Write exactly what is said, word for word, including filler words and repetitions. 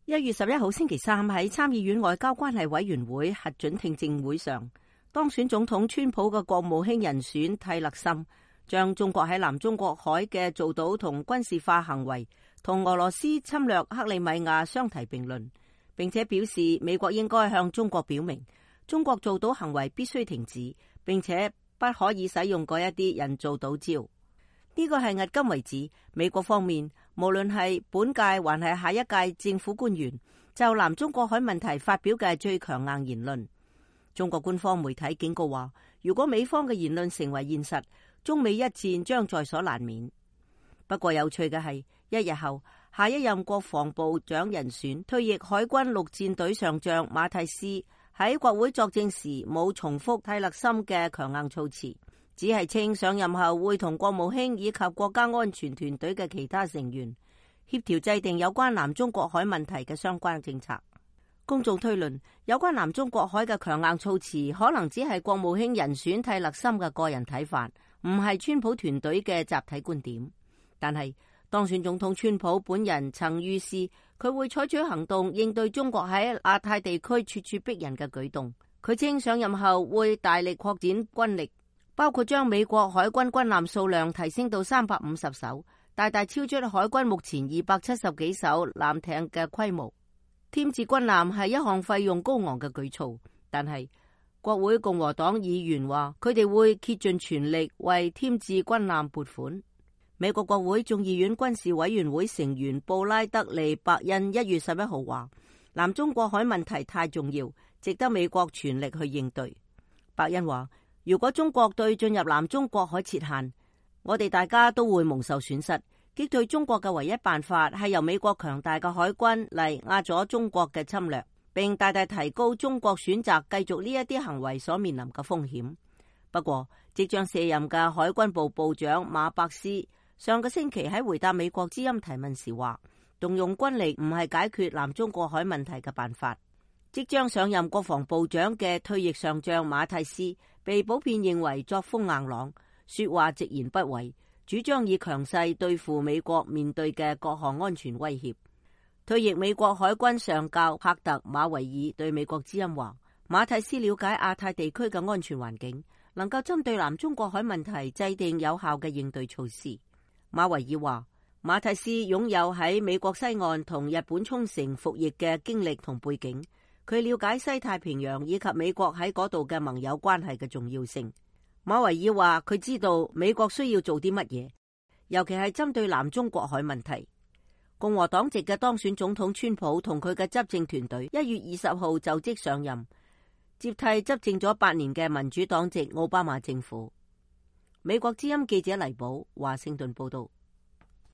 一月十一號星期三喺參議院外交關係委員會核准聽證會上，當選總統川普嘅國務卿人選蒂勒森將中國喺南中國海嘅造島同軍事化行為同俄羅斯侵略克里米亞相提並論，並且表示美國應該向中國表明，中國造島行為必須停止，並且不可以使用嗰一啲人造島礁。呢個係迄今為止美國方面無論係本屆還係下一屆政府官員就南中國海問題發表嘅最強硬言論。中國官方媒體警告話，如果美方嘅言論成為現實，中美一戰將在所難免。不過有趣嘅係，一日後下一任國防部長人選退役海軍陸戰隊上將馬蒂斯喺國會作證時冇重複蒂勒森嘅強硬措辭，只係稱上任後會同國務卿以及國家安全團隊嘅其他成員協調制定有關南中國海問題嘅相關政策。公眾推論，有關南中國海嘅強硬措辭可能只係國務卿人選蒂勒森嘅個人睇法，唔係川普團隊嘅集體觀點。但係當選總統川普本人曾預示佢會採取行動應對中國喺亞太地區咄咄逼人嘅舉動。佢稱上任後會大力擴展軍力，包括將美國海軍軍艦數量提升到三百五十艘，大大超出海軍目前二百七十幾艘艦艇嘅規模。添置軍艦係一項費用高昂嘅舉措，但係國會共和黨議員話佢哋會竭盡全力為添置軍艦撥款。美國國會眾議院軍事委員會成員布拉德利·伯恩一月十一號話，南中國海問題太重要，值得美國全力去應對。伯恩話，如果中國對進入南中國海設限，我哋大家都會蒙受損失。擊退中國嘅唯一辦法係由美國強大嘅海軍嚟壓咗中國嘅侵略，並大大提高中國選擇繼續呢一啲行為所面臨嘅風險。不過，即將卸任嘅海軍部部長馬伯斯上個星期喺回答美國之音提問時話，動用軍力唔係解決南中國海問題嘅辦法。即將上任國防部長嘅退役上將馬蒂斯被普遍認為作風硬朗，說話直言不諱，主張以強勢對付美國面對嘅各項安全威脅。退役美國海軍上校帕特馬維爾對美國之音話，馬蒂斯了解亞太地區嘅安全環境，能夠針對南中國海問題制定有效嘅應對措施。馬維爾話，馬蒂斯擁有喺美國西岸同日本沖繩服役嘅經歷同背景，佢了解西太平洋以及美國喺嗰度嘅盟友關係嘅重要性。馬維爾話，佢知道美國需要做啲乜嘢，尤其係針對南中國海問題。共和黨籍嘅當選總統川普同佢嘅執政團隊一月二十號就職上任，接替執政咗八年嘅民主黨籍奧巴馬政府。美國之音記者黎寶華盛頓報道。